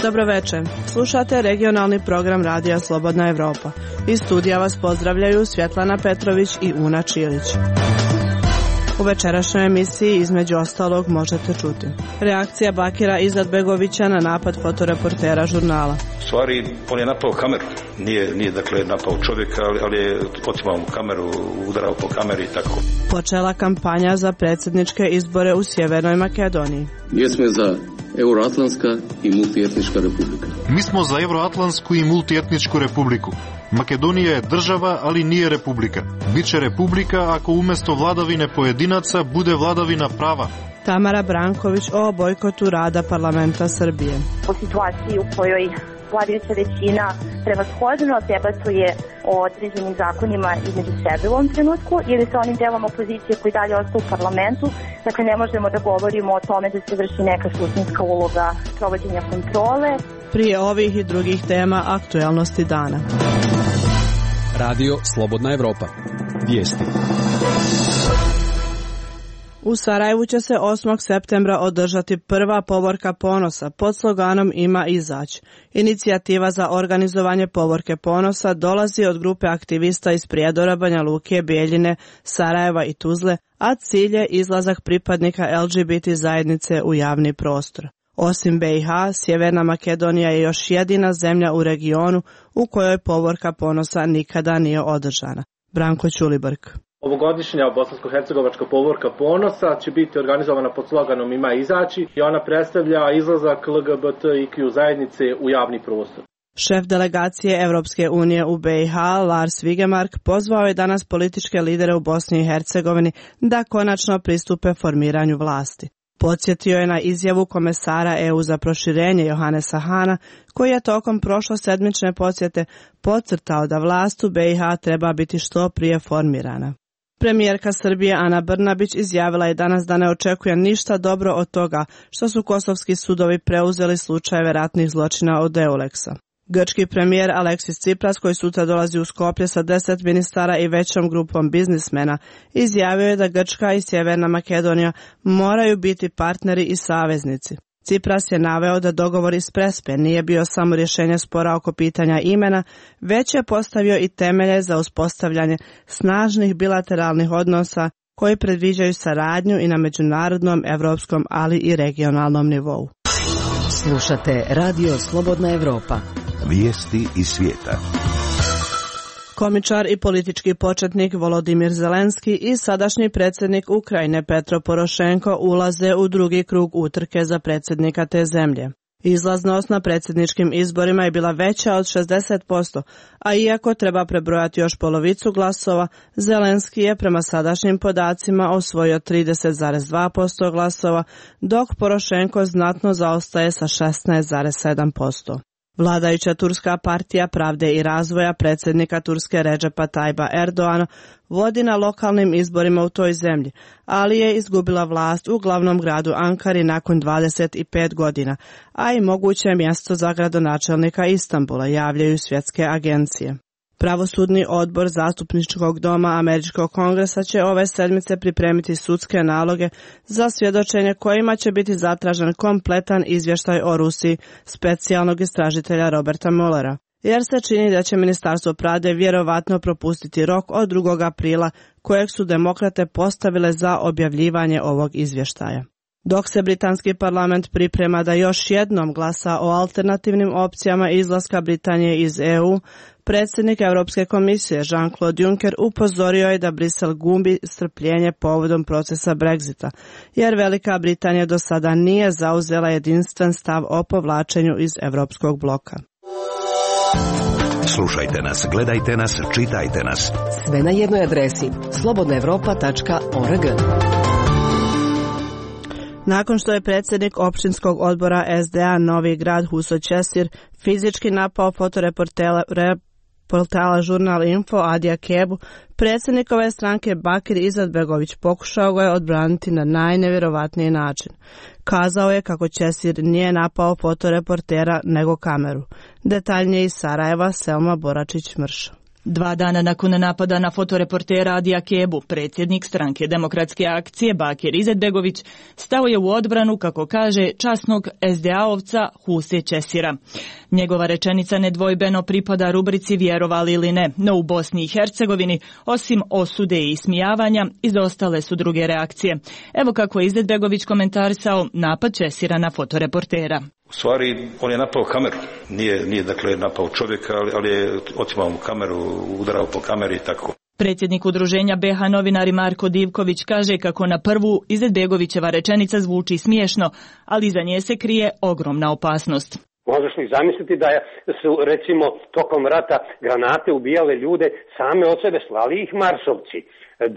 Dobro večer. Slušate regionalni program Radija Slobodna Evropa. Iz studija vas pozdravljaju Svjetlana Petrović i Una Čilić. U večerašnjoj emisiji između ostalog možete čuti: reakcija Bakira Izetbegovića na napad fotoreportera žurnala. U stvari, on je napao kameru. Nije dakle napao čovjeka, ali je otimao mu kameru, udarao po kameri i tako. Počela kampanja za predsjedničke izbore u Sjevernoj Makedoniji. Mi smo za Euroatlantska i multietnička republika. Mi smo za Euroatlantsku i multietničku republiku. Makedonija je država, ali nije republika. Biće republika ako umjesto vladavine pojedinaca bude vladavina prava. Tamara Branković o bojkotu rada parlamenta Srbije. U situaciji u kojoj vladajuća većina prevashodno debatuje o određenim zakonima između sebe u ovom trenutku ili sa onim delom opozicije koji dalje ostaje u parlamentu. Dakle, ne možemo da govorimo o tome da se vrši neka suštinska uloga provođenja kontrole. Prije ovih i drugih tema aktuelnosti dana. Radio Slobodna Evropa. Vijesti. U Sarajevu će se 8. septembra održati prva povorka ponosa pod sloganom Ima izać. Inicijativa za organizovanje povorke ponosa dolazi od grupe aktivista iz Prijedora, Banja Luke, Bijeljine, Sarajeva i Tuzle, a cilj je izlazak pripadnika LGBT zajednice u javni prostor. Osim BiH, Sjeverna Makedonija je još jedina zemlja u regionu u kojoj povorka ponosa nikada nije održana. Branko Ćulibrk. Ovogodišnja bosansko-hercegovačka povorka ponosa će biti organizovana pod sloganom Ima izaći i ona predstavlja izlazak LGBTIQ zajednice u javni prostor. Šef delegacije Evropske unije u BiH, Lars Vigemark, pozvao je danas političke lidere u Bosni i Hercegovini da konačno pristupe formiranju vlasti. Podsjetio je na izjavu komesara EU za proširenje Johannesa Hana, koji je tokom prošlosedmične posjete podcrtao da vlast u BiH treba biti što prije formirana. Premijerka Srbije Ana Brnabić izjavila je danas da ne očekuje ništa dobro od toga što su kosovski sudovi preuzeli slučajeve ratnih zločina od Euleksa. Grčki premijer Aleksis Tsipras, koji sutra dolazi u Skoplje sa 10 ministara i većom grupom biznismena, izjavio je da Grčka i Sjeverna Makedonija moraju biti partneri i saveznici. Tsipras je naveo da dogovor iz Prespe nije bio samo rješenje spora oko pitanja imena, već je postavio i temelje za uspostavljanje snažnih bilateralnih odnosa koji predviđaju saradnju i na međunarodnom, evropskom, ali i regionalnom nivou. Slušate Radio Slobodna Evropa. Vijesti iz svijeta. Komičar i politički početnik Volodimir Zelenski i sadašnji predsjednik Ukrajine Petro Porošenko ulaze u drugi krug utrke za predsjednika te zemlje. Izlaznost na predsjedničkim izborima je bila veća od 60%, a iako treba prebrojati još polovicu glasova, Zelenski je prema sadašnjim podacima osvojio 30,2% glasova, dok Porošenko znatno zaostaje sa 16,7%. Vladajuća turska partija Pravde i razvoja predsjednika Turske Redžepa Tajba Erdoana vodi na lokalnim izborima u toj zemlji, ali je izgubila vlast u glavnom gradu Ankari nakon 25 godina, a i moguće mjesto za gradonačelnika Istanbula, javljaju svjetske agencije. Pravosudni odbor Zastupničkog doma Američkog kongresa će ove sedmice pripremiti sudske naloge za svjedočenje kojima će biti zatražen kompletan izvještaj o Rusiji specijalnog istražitelja Roberta Muellera, jer se čini da će Ministarstvo pravde vjerovatno propustiti rok od 2. aprila kojeg su demokrate postavile za objavljivanje ovog izvještaja. Dok se britanski parlament priprema da još jednom glasa o alternativnim opcijama izlaska Britanije iz EU, predsjednik Europske komisije Jean-Claude Juncker upozorio je da Brisel gubi strpljenje povodom procesa Brexita, jer Velika Britanija do sada nije zauzela jedinstven stav o povlačenju iz europskog bloka. Slušajte nas, gledajte nas, čitajte nas. Sve na jednoj adresi slobodnaevropa.org. Nakon što je predsjednik općinskog odbora SDA Novi Grad Huso Česir fizički napao fotoreportala Žurnal Info Adija Kebu, predsjednik ove stranke Bakir Izetbegović pokušao ga je odbraniti na najnevjerovatniji način. Kazao je kako Česir nije napao fotoreportera nego kameru. Detaljnije iz Sarajeva, Selma Boračić-Mrša. 2 dana nakon napada na fotoreportera Adija Kebu, predsjednik stranke Demokratske akcije Bakir Izetbegović stao je u odbranu, kako kaže, časnog SDA-ovca Huse Česira. Njegova rečenica nedvojbeno pripada rubrici vjerovali ili ne, no u Bosni i Hercegovini, osim osude i ismijavanja, izostale su druge reakcije. Evo kako je Izetbegović komentarisao napad Česira na fotoreportera. U stvari, on je napao kameru. Nije dakle napao čovjeka, ali je otimao mu kameru, udarao po kameri i tako. Predsjednik udruženja BH novinari Marko Divković kaže kako na prvu Izetbegovićeva rečenica zvuči smiješno, ali iza nje se krije ogromna opasnost. Možeš li zamisliti da su, recimo, tokom rata granate ubijale ljude, same od sebe slali ih marsovci?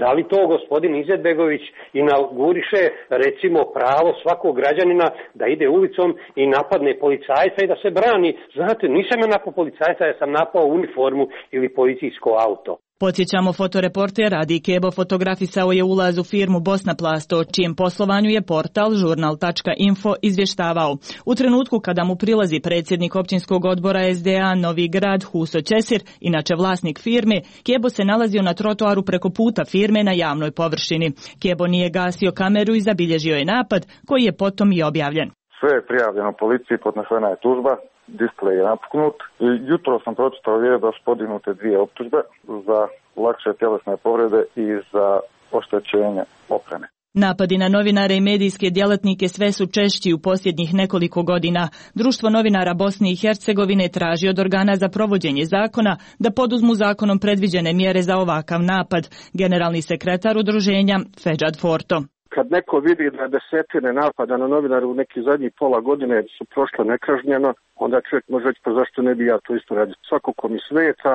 Da li to gospodin Izetbegović inauguriše, recimo, pravo svakog građanina da ide ulicom i napadne policajca i da se brani? Znate, nisam ja napao policajca, ja sam napao uniformu ili policijsko auto. Podsjećamo, fotoreporter Adi Kebo fotografisao je ulaz u firmu Bosnaplast, o čijem poslovanju je portal žurnal.info izvještavao. U trenutku kada mu prilazi predsjednik općinskog odbora SDA Novi Grad Huso Česir, inače vlasnik firme, Kebo se nalazio na trotoaru preko puta firme na javnoj površini. Kebo nije gasio kameru i zabilježio je napad, koji je potom i objavljen. Sve je prijavljeno policiji, podnesena je tužba. Displej je napuknut. Jutro sam pročitao da su podignute 2 optužbe za lakše tjelesne povrede i za oštećenje opreme. Napadi na novinare i medijske djelatnike sve su češći u posljednjih nekoliko godina. Društvo novinara Bosne i Hercegovine traži od organa za provođenje zakona da poduzmu zakonom predviđene mjere za ovakav napad. Generalni sekretar udruženja Feđad Forto. Kad neko vidi da desetine napada na novinare u neki zadnjih pola godine su prošle nekažnjeno, onda čovjek može reći pa zašto ne bi ja to isto radio. Svako ko mi smeta,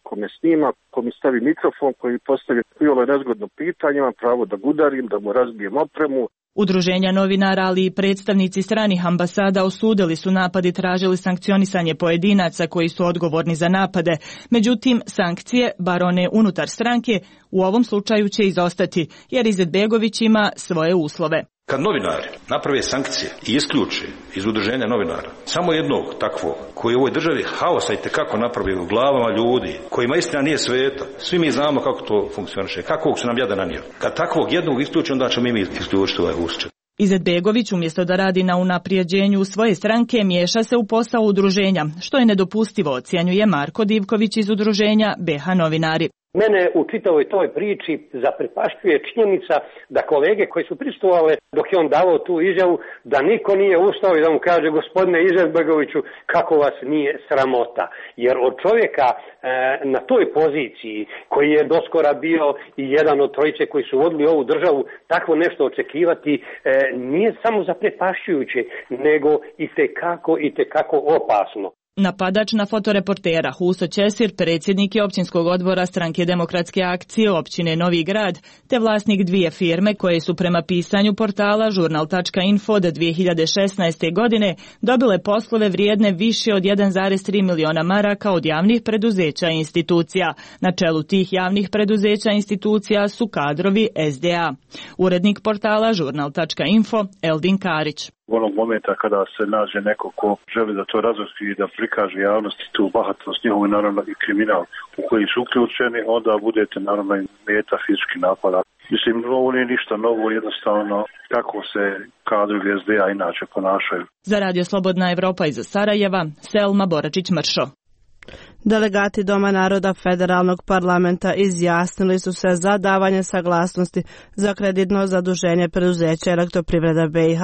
ko me snima, ko mi stavi mikrofon, koji postavi iole nezgodno pitanje, imam pravo da ga udarim, da mu razbijem opremu. Udruženja novinara, ali i predstavnici stranih ambasada osudili su napad i tražili sankcionisanje pojedinaca koji su odgovorni za napade. Međutim, sankcije, bar one unutar stranke, u ovom slučaju će izostati, jer Izetbegović ima svoje uslove. Kad novinari naprave sankcije i isključe iz udruženja novinara samo jednog takvog koji u ovoj državi haosa i tekako napravi u glavama ljudi, kojima istina nije sveta, svi mi znamo kako to funkcioniše, kakvog su nam jada nanio. Kad takvog jednog isključe, onda ćemo mi isključiti ovaj usčet. Izetbegović, umjesto da radi na unaprijeđenju svoje stranke, miješa se u posao udruženja, što je nedopustivo, ocjenjuje Marko Divković iz udruženja BH novinari. Mene u čitavoj toj priči zaprepašćuje činjenica da kolege koji su prisustvovale dok je on davao tu izjavu, da niko nije ustao i da mu kaže gospodine Izetbegoviću kako vas nije sramota. Jer od čovjeka na toj poziciji koji je doskora bio i jedan od trojice koji su vodili ovu državu, takvo nešto očekivati nije samo zaprepašćujuće, nego i tekako opasno. Napadač na fotoreportera Huso Česir, predsjednik je općinskog odbora stranke Demokratske akcije općine Novi Grad, te vlasnik 2 firme koje su prema pisanju portala žurnal.info od 2016. godine dobile poslove vrijedne više od 1,3 miliona maraka od javnih preduzeća i institucija. Na čelu tih javnih preduzeća i institucija su kadrovi SDA. Urednik portala žurnal.info Eldin Karić. Onog momenta kada se nađe neko ko želi da to razotri i da prikaže javnosti tu bahatost njihovu i naravno i kriminal u koji su uključeni, onda budete naravno i meta fizički napada. Mislim, ovo nije ništa novo, jednostavno kako se kadrovi SDA inače ponašaju. Za Radio Slobodna Evropa iz Sarajeva, Selma Boračić-Mršo. Delegati Doma naroda Federalnog parlamenta izjasnili su se za davanje saglasnosti za kreditno zaduženje preduzeća Elektroprivreda BiH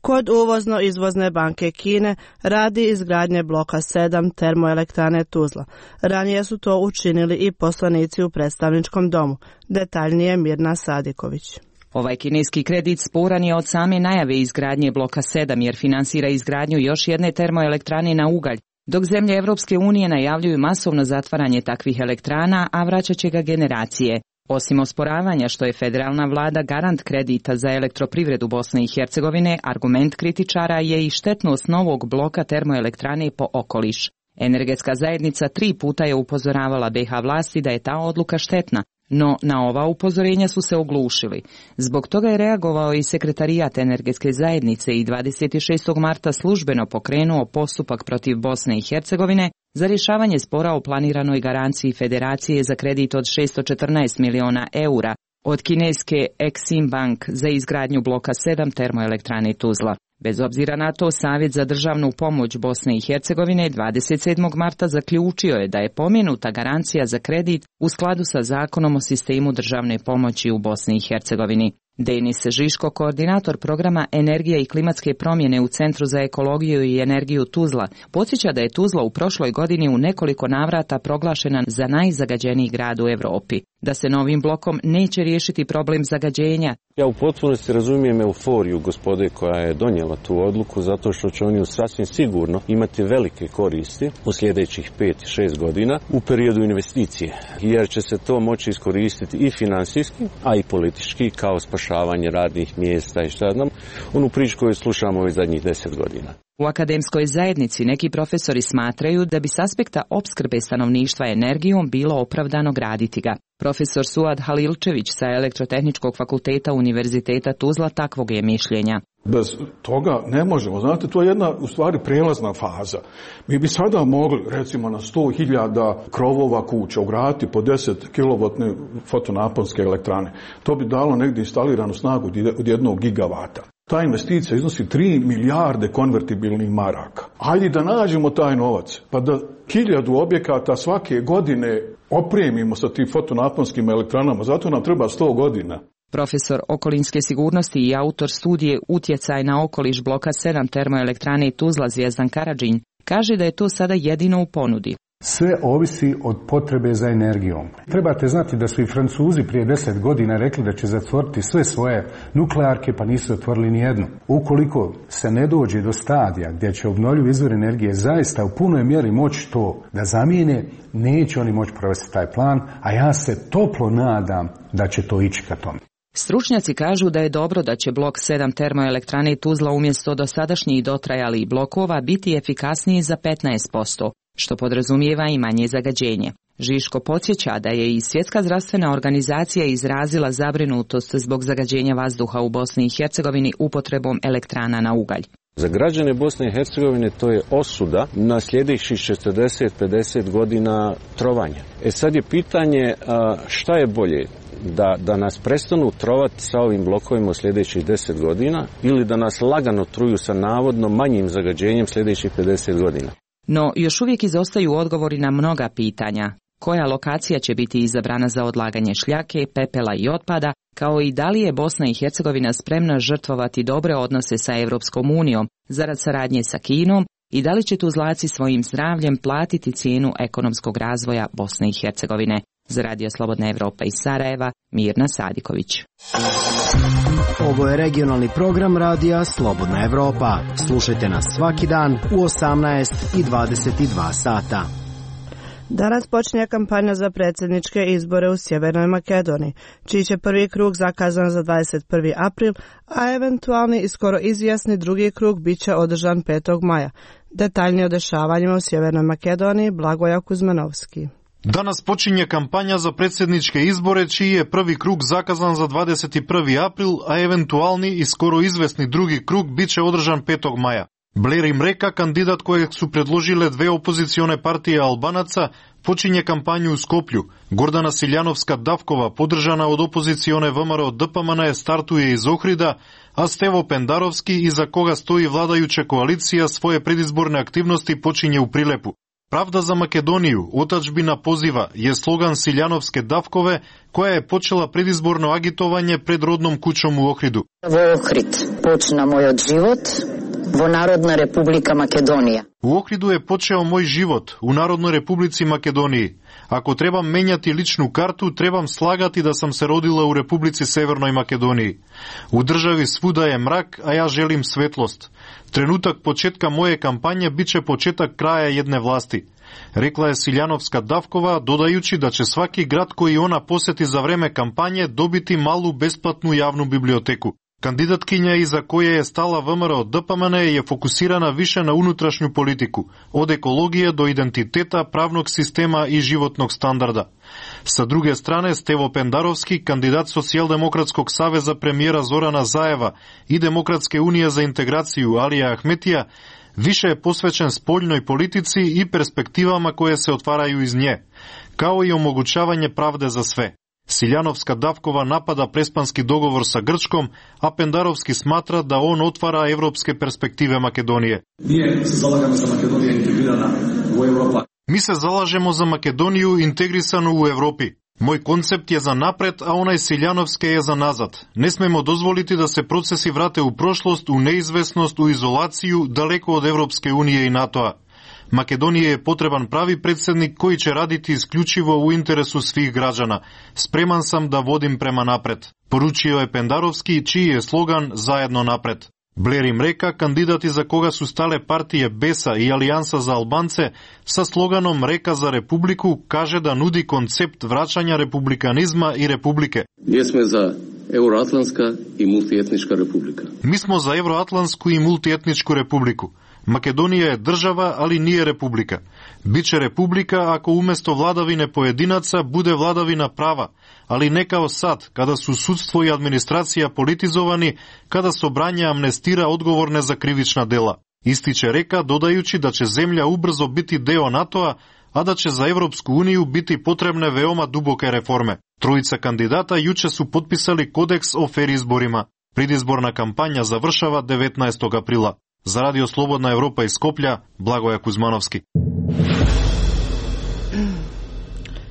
kod uvozno-izvozne banke Kine radi izgradnje bloka 7 termoelektrane Tuzla. Ranije su to učinili i poslanici u predstavničkom domu. Detaljnije Mirna Sadiković. Ovaj kineski kredit sporan je od same najave izgradnje bloka 7 jer finansira izgradnju još jedne termoelektrane na ugalj, dok zemlje Evropske unije najavljuju masovno zatvaranje takvih elektrana, a vraćat će ga generacije. Osim osporavanja što je federalna vlada garant kredita za elektroprivredu Bosne i Hercegovine, argument kritičara je i štetnost novog bloka termoelektrane po okoliš. Energetska zajednica 3 puta je upozoravala BiH vlasti da je ta odluka štetna, no na ova upozorenja su se oglušili. Zbog toga je reagovao i sekretarijat Energetske zajednice i 26. marta službeno pokrenuo postupak protiv Bosne i Hercegovine za rješavanje spora o planiranoj garanciji Federacije za kredit od 614 miliona eura od kineske Exim Bank za izgradnju bloka 7 termoelektrane Tuzla. Bez obzira na to, Savjet za državnu pomoć Bosne i Hercegovine 27. marta zaključio je da je pomenuta garancija za kredit u skladu sa zakonom o sistemu državne pomoći u Bosni i Hercegovini. Denis Žiško, koordinator programa Energija i klimatske promjene u Centru za ekologiju i energiju Tuzla, podsjeća da je Tuzla u prošloj godini u nekoliko navrata proglašena za najzagađeniji grad u Europi. Da se novim blokom neće riješiti problem zagađenja. Ja u potpunosti razumijem euforiju gospode koja je donijela tu odluku, zato što će oni sasvim sigurno imati velike koristi u sljedećih 5-6 godina u periodu investicije, jer će se to moći iskoristiti i finansijski, a i politički, kao spašavanje radnih mjesta i šta znam, onu priču koju slušamo ovih zadnjih 10 godina. U akademskoj zajednici neki profesori smatraju da bi s aspekta opskrbe stanovništva energijom bilo opravdano graditi ga. Profesor Suad Halilčević sa Elektrotehničkog fakulteta Univerziteta Tuzla takvog je mišljenja. Bez toga ne možemo. Znate, to je jedna u stvari prijelazna faza. Mi bi sada mogli, recimo, na 100.000 krovova kuća ugraditi po 10 kW fotonaponske elektrane. To bi dalo negdje instaliranu snagu od 1 gigavata. Ta investicija iznosi 3 milijarde konvertibilnih maraka. Hajde da nađemo taj novac, pa da 1000 objekata svake godine opremimo sa tim fotonaponskim elektranama. Zato nam treba 100 godina. Profesor okolinske sigurnosti i autor studije Utjecaj na okoliš bloka 7 termoelektrane Tuzla Zvijezdan Karadžin kaže da je to sada jedino u ponudi. Sve ovisi od potrebe za energijom. Trebate znati da su i Francuzi prije 10 godina rekli da će zatvoriti sve svoje nuklearke, pa nisu zatvorili ni jednu. Ukoliko se ne dođe do stadija gdje će obnovljivi izvor energije zaista u punoj mjeri moći to da zamijene, neće oni moći provesti taj plan, a ja se toplo nadam da će to ići ka tome. Stručnjaci kažu da je dobro da će blok 7 termoelektrane Tuzla umjesto dosadašnjih dotrajalih blokova biti efikasniji za 15%, što podrazumijeva i manje zagađenje. Žiško podsjeća da je i Svjetska zdravstvena organizacija izrazila zabrinutost zbog zagađenja vazduha u Bosni i Hercegovini upotrebom elektrana na ugalj. Za građane Bosne i Hercegovine to je osuda na sljedećih 40-50 godina trovanja. Sad je pitanje šta je bolje? Da nas prestanu trovati sa ovim blokovima u sljedećih 10 godina ili da nas lagano truju sa navodno manjim zagađenjem sljedećih 50 godina. No, još uvijek izostaju odgovori na mnoga pitanja. Koja lokacija će biti izabrana za odlaganje šljake, pepela i otpada, kao i da li je Bosna i Hercegovina spremna žrtvovati dobre odnose sa Europskom unijom zarad saradnje sa Kinom i da li će Tuzlaci svojim zdravljem platiti cijenu ekonomskog razvoja Bosne i Hercegovine. Za Radio Slobodna Evropa iz Sarajeva, Mirna Sadiković. Ovo je regionalni program Radija Slobodna Evropa. Slušajte nas svaki dan u 18 i 22 sata. Danas počinje kampanja za predsjedničke izbore u Sjevernoj Makedoniji, čiji će prvi krug zakazan za 21. april, a eventualni i skoro izvjesni drugi krug bit će održan 5. maja. Detaljnije o dešavanjima u Sjevernoj Makedoniji, Blagoja Kuzmanovski. Danas počinje kampanja za predsjedničke izbore, čiji je prvi krug zakazan za 21. april, a eventualni i skoro izvesni drugi krug bit će održan 5. maja. Blerim Mreka, kandidat kojeg su predložile dve opozicione partije Albanaca, počinje kampanju u Skoplju. Gordana Siljanovska-Davkova, podržana od opozicione VMRO DPMN, startuje iz Ohrida, a Stevo Pendarovski, iza koga stoji vladajuća koalicija, svoje predizborne aktivnosti počinje u Prilepu. Pravda za Makedoniju, otadžbina poziva, je slogan Siljanovske Davkove, koja je počela predizborno agitovanje pred rodnom kućom u Ohridu. Vo Ohrid počna moj od život, vo Narodna Republika Makedonija. U Ohridu je počeo moj život, u Narodnoj Republici Makedoniji. Ako trebam menjati ličnu kartu, trebam slagati da sam se rodila u Republici Severnoj Makedoniji. U državi svuda je mrak, a ja želim svetlost. Trenutak početka moje kampanje bit će početak kraja jedne vlasti, rekla je Siljanovska Davkova, dodajući da će svaki grad koji ona posjeti za vreme kampanje dobiti malu besplatnu javnu biblioteku. Kandidatkinja iza koje je stala VMRO DPMN je fokusirana više na unutrašnju politiku, od ekologije do identiteta, pravnog sistema i životnog standarda. Sa druge strane, Stevo Pendarovski, kandidat Socijaldemokratskog saveza premijera Zorana Zajeva i Demokratske unije za integraciju Alija Ahmetija, Više je posvećen spoljnoj politici i perspektivama koje se otvaraju iz nje, kao i omogućavanje pravde za sve. Siljanovska-Davkova napada prespanski dogovor sa Grčkom, a Pendarovski smatra da on otvara evropske perspektive Makedonije. Mi se zalažemo za Makedoniju integrisanu u Evropi. Moj koncept je za napred, a onaj Siljanovske je za nazad. Ne smemo dozvoliti da se procesi vrate u prošlost, u neizvesnost, u izolaciju, daleko od Evropske unije i NATO-a. Makedonije je potreban pravi predsjednik koji će raditi isključivo u interesu svih građana. Spreman sam da vodim prema napred. Poručio je Pendarovski, čiji je slogan Zajedno napred. Blair im reka, kandidati za koga su stale partije BESA i Alijansa za Albance, sa sloganom Reka za Republiku, kaže da nudi koncept vraćanja republikanizma i republike. Mi smo za Euroatlantska i multietnička republika. Mi smo za Euroatlantsku i multietničku republiku. Makedonija je država, ali nije republika. Biće republika ako umjesto vladavine pojedinaca bude vladavina prava, ali ne kao sad, kada su sudstvo i administracija politizovani, kada Sobranje amnestira odgovorne za krivična dela. Ističe reka, dodajući da će zemlja ubrzo biti deo NATO-a, a da će za Evropsku uniju biti potrebne veoma duboke reforme. Trojica kandidata juče su potpisali kodeks o fer izborima. Predizborna kampanja završava 19. aprila. Za Radio Slobodna Evropa iz Skoplja, Blagoja Kuzmanovski.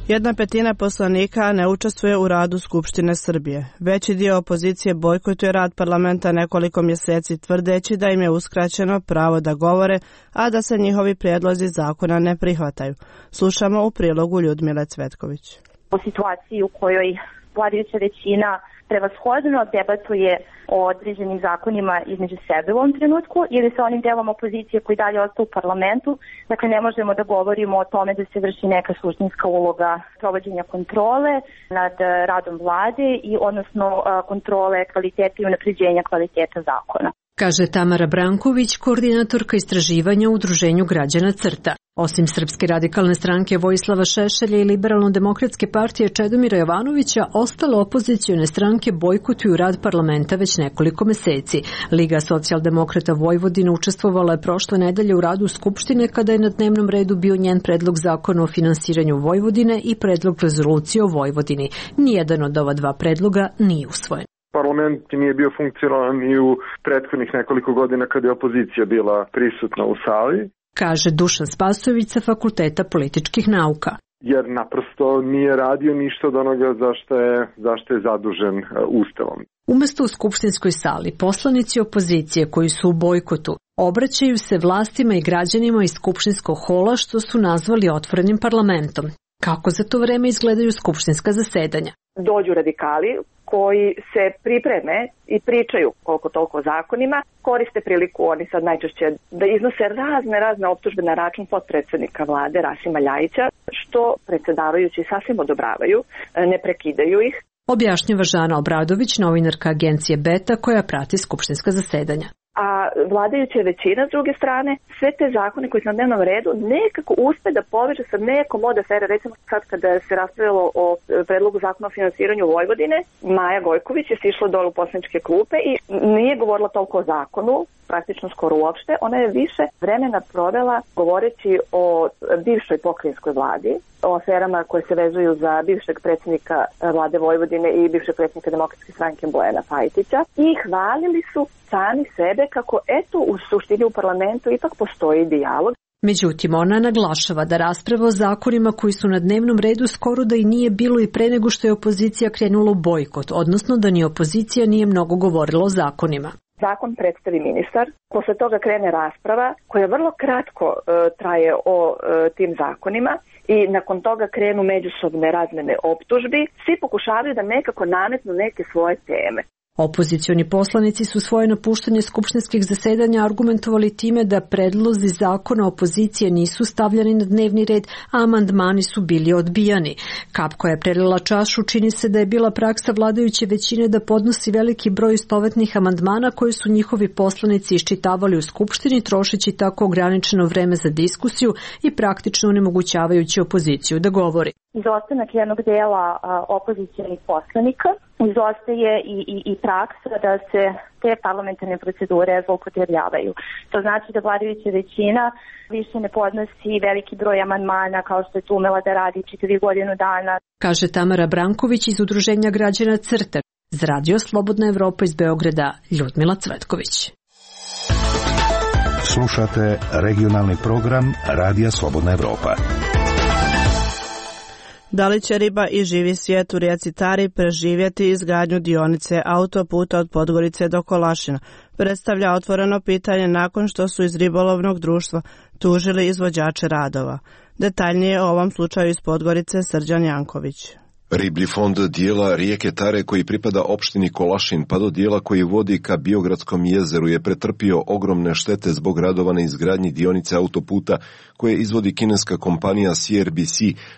1/5 poslanika ne učestvuje u radu Skupštine Srbije. Veći dio opozicije bojkotuje rad parlamenta nekoliko mjeseci, tvrdeći da im je uskraćeno pravo da govore, a da se njihovi prijedlozi zakona ne prihvataju. Slušamo u prilogu Ljudmile Cvetković. U situaciji u kojoj vladajuća većina prevashodno debatuje o određenim zakonima između sebe u ovom trenutku ili sa onim delom opozicije koji dalje ostaje u parlamentu. Dakle, ne možemo da govorimo o tome da se vrši neka suštinska uloga provođenja kontrole nad radom vlade i odnosno kontrole kvaliteta i unapređenja kvaliteta zakona. Kaže Tamara Branković, koordinatorka istraživanja u Udruženju građana CRTA. Osim Srpske radikalne stranke Vojislava Šešelja i Liberalno-demokratske partije Čedomira Jovanovića, ostale opozicione stranke bojkotuju rad parlamenta već nekoliko meseci. Liga socijaldemokrata Vojvodine učestvovala je prošle nedelje u radu Skupštine kada je na dnevnom redu bio njen predlog zakona o finansiranju Vojvodine i predlog rezolucije o Vojvodini. Nijedan od ova dva predloga nije usvojen. Parlament nije bio funkcionalan i u prethodnih nekoliko godina kada je opozicija bila prisutna u sali. Kaže Dušan Spasojević sa Fakulteta političkih nauka. Jer naprosto nije radio ništa od onoga zašto je zadužen Ustavom. Umesto u skupštinskoj sali, poslanici opozicije koji su u bojkotu obraćaju se vlastima i građanima iz skupštinskog hola što su nazvali otvorenim parlamentom. Kako za to vreme izgledaju skupštinska zasedanja? Dođu radikali koji se pripreme i pričaju koliko toliko o zakonima, koriste priliku oni sad najčešće da iznose razne optužbe na račun potpredsjednika vlade Rasima Ljajića, što predsjedavajući sasvim odobravaju, ne prekidaju ih. Objašnjava Žana Obradović, novinarka agencije Beta koja prati skupštinska zasedanja. A vladajuća većina s druge strane sve te zakone koji su na dnevnom redu nekako uspe da poveže sa nekom od afere. Recimo sad kada se raspravljalo o predlogu zakona o finansiranju Vojvodine, Maja Gojković je sišla dole u poslaničke klupe i nije govorila toliko o zakonu, praktično skoro uopšte. Ona je više vremena provela govoreći o bivšoj pokrajinskoj vladi, o aferama koje se vezuju za bivšeg predsjednika vlade Vojvodine i bivšeg predsjednika Demokratske stranke Bojana Pajtića i hvalili su sami sebe kako eto u suštini u parlamentu ipak postoji dijalog. Međutim, ona naglašava da rasprava o zakonima koji su na dnevnom redu skoro da i nije bilo i pre nego što je opozicija krenula u bojkot, odnosno da ni opozicija nije mnogo govorila o zakonima. Zakon predstavi ministar, posle toga krene rasprava koja vrlo kratko traje o tim zakonima i nakon toga krenu međusobne razmene optužbi. Svi pokušavaju da nekako nametnu neke svoje teme. Opozicioni poslanici su svoje napuštanje skupštinskih zasedanja argumentovali time da predlozi zakona opozicije nisu stavljani na dnevni red, a amandmani su bili odbijani. Kap koja je prelila čašu čini se da je bila praksa vladajuće većine da podnosi veliki broj istovetnih amandmana koje su njihovi poslanici iščitavali u skupštini, trošeći tako ograničeno vreme za diskusiju i praktično onemogućavajući opoziciju da govori. Izostanak jednog dela opozicionih poslanika izostaje i praksa da se te parlamentarne procedure zloupotrebljavaju. To znači da vladajuća većina više ne podnosi veliki broj amandmana kao što je to umela da radi čitavi godinu dana. Kaže Tamara Branković iz Udruženja građana CRTA. Za Radio Slobodna Evropa iz Beograda, Ljudmila Cvetković. Slušate regionalni program Radija Slobodna Evropa. Da li će riba i živi svijet u rijeci Tari preživjeti izgradnju dionice autoputa od Podgorice do Kolašina? Predstavlja otvoreno pitanje nakon što su iz ribolovnog društva tužili izvođače radova. Detaljnije o ovom slučaju iz Podgorice Srđan Janković. Riblji fond dijela rijeke Tare koji pripada opštini Kolašin pa do dijela koji vodi ka Biogradskom jezeru je pretrpio ogromne štete zbog radova na izgradnji dionice autoputa koje izvodi kineska kompanija CRBC,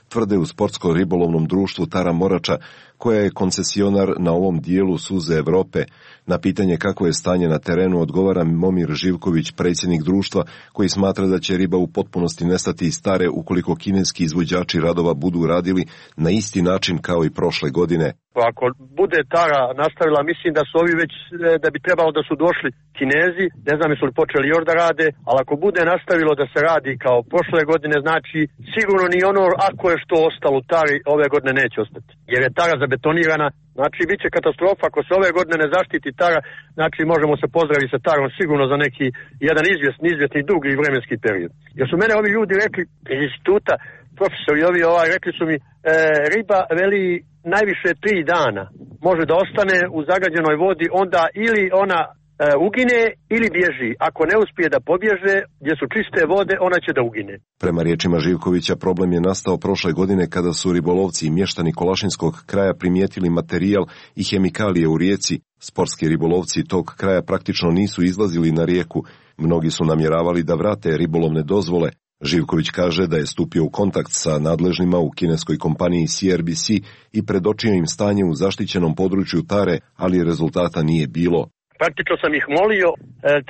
tvrde u sportsko-ribolovnom društvu Tara Morača, koja je koncesionar na ovom dijelu suze Evrope. Na pitanje kako je stanje na terenu odgovara Momir Živković, predsjednik društva, koji smatra da će riba u potpunosti nestati iz Tare ukoliko kineski izvođači radova budu radili na isti način kao i prošle godine. Ako bude Tara nastavila, mislim da su ovi već, da bi trebalo da su došli Kinezi, ne znam jesu li počeli još da rade, ali ako bude nastavilo da se radi kao prošle godine, znači sigurno ni ono ako je što ostalo u Tari ove godine neće ostati. Jer je Tara zabetonirana, znači bit će katastrofa ako se ove godine ne zaštiti Tara, znači možemo se pozdraviti sa Tarom sigurno za neki jedan izvjesni dugi vremenski period. Jer su mene ovi ljudi rekli iz instituta, profesori ovi rekli su mi riba veli najviše 3 dana može da ostane u zagađenoj vodi, onda ili ona ugine ili bježi. Ako ne uspije da pobježe gdje su čiste vode, ona će da ugine. Prema riječima Živkovića, problem je nastao prošle godine kada su ribolovci i mještani Kolašinskog kraja primijetili materijal i hemikalije u rijeci. Sportski ribolovci tog kraja praktično nisu izlazili na rijeku. Mnogi su namjeravali da vrate ribolovne dozvole. Živković kaže da je stupio u kontakt sa nadležnima u kineskoj kompaniji CRBC i predočio im stanje u zaštićenom području Tare, ali rezultata nije bilo. Praktično sam ih molio,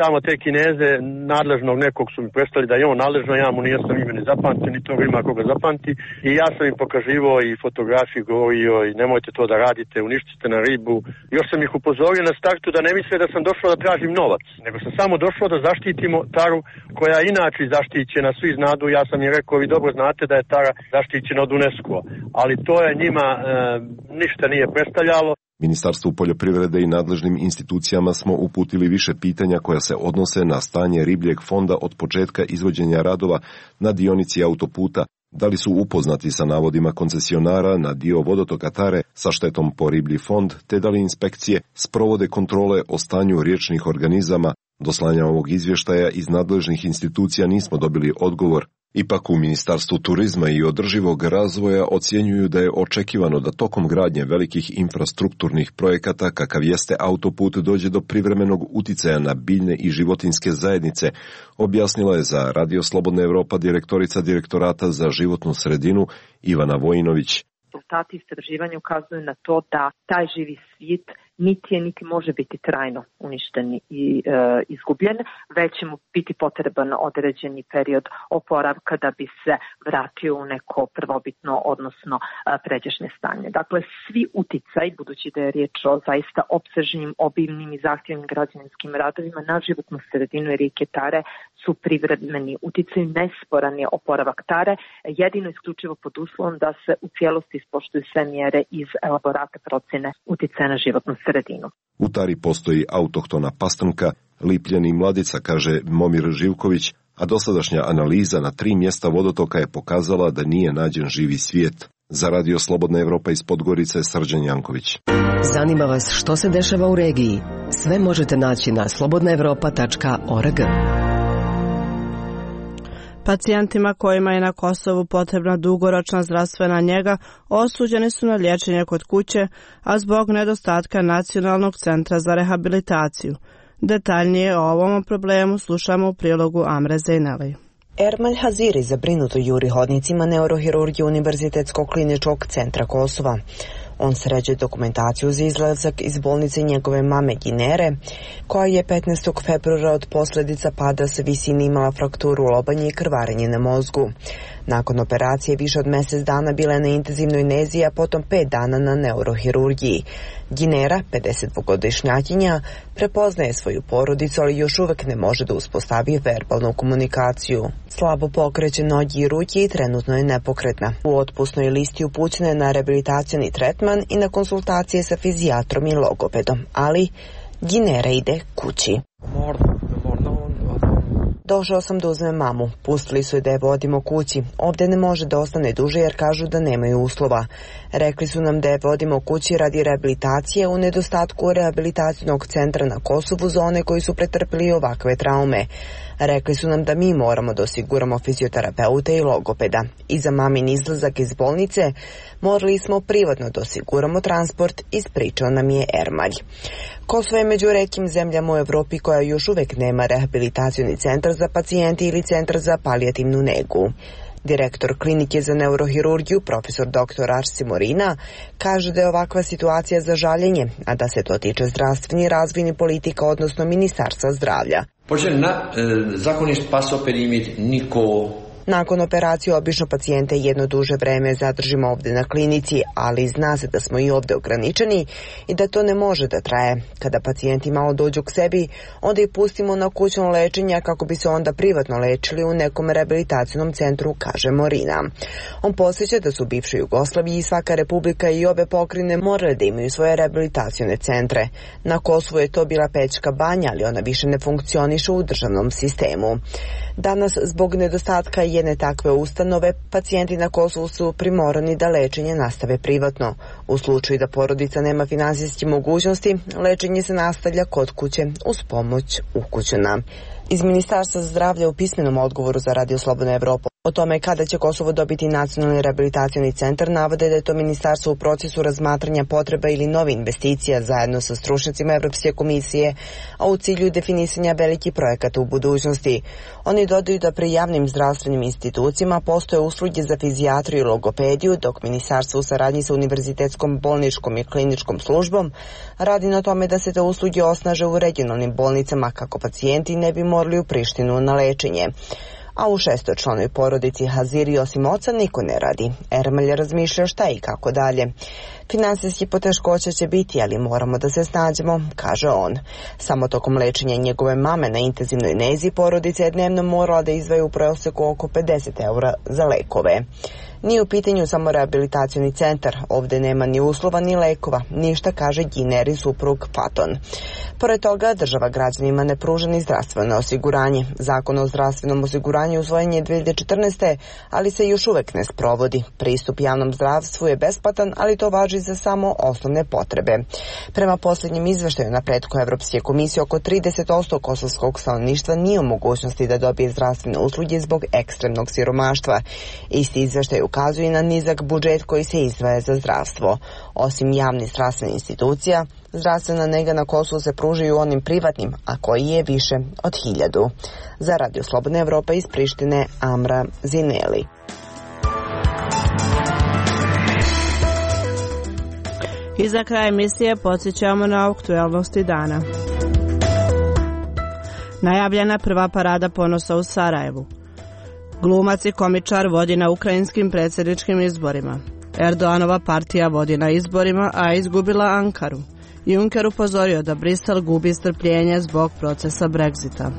tamo te Kineze, nadležnog nekog su mi predstavili da je on nadležno, ja mu nijesam ime ni zapamtio, ni toga ima koga zapamti. I ja sam im pokaživao i fotografiju govorio i nemojte to da radite, uništite na ribu. Još sam ih upozorio na startu da ne misle da sam došao da tražim novac, nego sam samo došao da zaštitimo Taru koja je inače zaštićena, svi znadu, ja sam im rekao, vi dobro znate da je Tara zaštićena od UNESCO, ali to je njima ništa nije predstavljalo. Ministarstvu poljoprivrede i nadležnim institucijama smo uputili više pitanja koja se odnose na stanje ribljeg fonda od početka izvođenja radova na dionici autoputa, da li su upoznati sa navodima koncesionara na dio vodotoka Tare sa štetom po riblji fond, te da li inspekcije sprovode kontrole o stanju riječnih organizama. Do slanja ovog izvještaja iz nadležnih institucija nismo dobili odgovor. Ipak u Ministarstvu turizma i održivog razvoja ocjenjuju da je očekivano da tokom gradnje velikih infrastrukturnih projekata kakav jeste autoput dođe do privremenog uticaja na biljne i životinjske zajednice, objasnila je za Radio Slobodna Evropa direktorica Direktorata za životnu sredinu Ivana Vojinović. Rezultati istraživanja ukazuju na to da taj živi svijet niti može biti trajno uništen i izgubljen, već će mu biti potreban određeni period oporavka da bi se vratio u neko prvobitno, odnosno pređašnje stanje. Dakle, svi uticaj, budući da je riječ o zaista opsežnim, obimnim i zahtjevnim građevinskim radovima na životnu sredinu i rijeke Tare su privremeni uticaj, nesporan je oporavak Tare, jedino isključivo pod uslovom da se u cijelosti ispoštuju sve mjere iz elaborata procjene uticaja na životnu sredinu. U Tari postoji autohtona pastrnka, lipljen i mladica, kaže Momir Živković, a dosadašnja analiza na 3 mjesta vodotoka je pokazala da nije nađen živi svijet. Za Radio Slobodna Evropa iz Podgorice, Srđan Janković. Zanima vas što se dešava u regiji? Sve možete naći na slobodnaevropa.org. Pacijentima kojima je na Kosovu potrebna dugoročna zdravstvena njega osuđeni su na liječenje kod kuće, a zbog nedostatka Nacionalnog centra za rehabilitaciju. Detaljnije o ovom problemu slušamo u prilogu Amre Zejneli. Ermal Haziri zabrinuto juri hodnicima neurohirurgije Univerzitetskog kliničkog centra Kosova. On sređuje dokumentaciju za izlazak iz bolnice njegove mame Ginere, koja je 15. februara od posljedica pada sa visine imala frakturu lobanje i krvarenje na mozgu. Nakon operacije više od mjesec dana bila je na intenzivnoj nezi, a potom 5 dana na neurohirurgiji. Ginera, 52-godišnjakinja, prepoznaje svoju porodicu, ali još uvek ne može da uspostavi verbalnu komunikaciju. Slabo pokreće noge i ruke i trenutno je nepokretna. U otpusnoj listi upućena je na rehabilitacioni tretman i na konsultacije sa fizijatrom i logopedom, ali Ginera ide kući. Došao sam da uzmem mamu. Pustili su je da je vodimo kući. Ovdje ne može da ostane duže jer kažu da nemaju uslova. Rekli su nam da je vodimo kući radi rehabilitacije u nedostatku rehabilitacijnog centra na Kosovu za one koji su pretrpili ovakve traume. Rekli su nam da mi moramo da osiguramo fizioterapeute i logopeda. I za mamin izlazak iz bolnice morali smo privatno da osiguramo transport, ispričao nam je Ermalj. Kosovo je među retkim zemljama u Evropi koja još uvek nema rehabilitacioni centar za pacijente ili centar za palijativnu negu. Direktor klinike za neurohirurgiju, profesor dr. Arsi Morina, kaže da je ovakva situacija za žaljenje, a da se to tiče zdravstveni razvojni politika, odnosno Ministarstva zdravlja. Nakon operacije obično pacijente jedno duže vreme zadržimo ovdje na klinici, ali zna se da smo i ovdje ograničeni i da to ne može da traje. Kada pacijenti malo dođu k sebi, onda ih pustimo na kućno lečenje kako bi se onda privatno lečili u nekom rehabilitacijnom centru, kaže Morina. On podsjeća da su u bivšoj Jugoslaviji i svaka republika i obe pokrajine morale da imaju svoje rehabilitacione centre. Na Kosovu je to bila Pećka banja, ali ona više ne funkcioniše u državnom sistemu. Danas, zbog nedostatka jedne takve ustanove, pacijenti na Kosovu su primorani da lečenje nastave privatno. U slučaju da porodica nema finansijske mogućnosti, lečenje se nastavlja kod kuće uz pomoć ukućana. Iz Ministarstva zdravlja u pismenom odgovoru za Radio Slobodna Evropa o tome kada će Kosovo dobiti nacionalni rehabilitacioni centar navode da je to ministarstvo u procesu razmatranja potreba ili nove investicija zajedno sa stručnjacima Evropske komisije, a u cilju definisanja velikih projekata u budućnosti. Oni dodaju da pri javnim zdravstvenim institucijama postoje usluge za fizijatriju i logopediju, dok ministarstvo u saradnji sa Univerzitetskom bolničkom i kliničkom službom radi na tome da se te usluge osnaže u regionalnim bolnicama kako pacijenti ne bi morali u Prištinu na lečenje. A u 6-članoj porodici Haziri osim oca niko ne radi. Ermalj razmišlja šta i kako dalje. Finansijski poteškoća će biti, ali moramo da se snađemo, kaže on. Samo tokom lečenja njegove mame na intenzivnoj nezi porodica je dnevno morala da izdvaja u proseku oko 50 € za lekove. Nije u pitanju samo rehabilitacioni centar, ovdje nema ni uslova ni lekova, ništa, kaže Ginerin suprug Faton. Pored toga, država građanima ne pruža ni zdravstveno osiguranje. Zakon o zdravstvenom osiguranju usvojen je 2014. ali se još uvek ne sprovodi. Pristup javnom zdravstvu je besplatan, ali to važi za samo osnovne potrebe. Prema posljednjem izveštaju na pretku Evropske komisije, oko 30% kosovskog stanovništva nije u mogućnosti da dobije zdravstvene usluge zbog ekstremnog siromaštva. Isti izveštaj ukazuje na nizak budžet koji se izdvaja za zdravstvo. Osim javnih zdravstvenih institucija, zdravstvena nega na Kosovu se pružaju onim privatnim, a koji je više od 1000. Za Radio Slobodna Evropa iz Prištine, Amra Zineli. I za kraj emisije podsjećamo na aktuelnosti dana. Najavljena prva parada ponosa u Sarajevu. Glumac i komičar vodi na ukrajinskim predsjedničkim izborima. Erdoganova partija vodi na izborima, a izgubila Ankaru. Juncker upozorio da Brisel gubi strpljenje zbog procesa Brexita.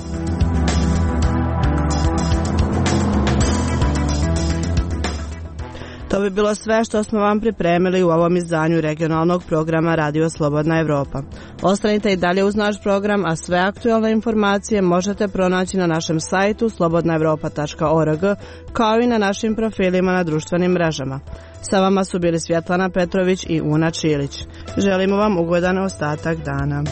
To bi bilo sve što smo vam pripremili u ovom izdanju regionalnog programa Radio Slobodna Evropa. Ostanite i dalje uz naš program, a sve aktualne informacije možete pronaći na našem sajtu slobodnaevropa.org, kao i na našim profilima na društvenim mrežama. Sa vama su bili Svjetlana Petrović i Una Čilić. Želimo vam ugodan ostatak dana.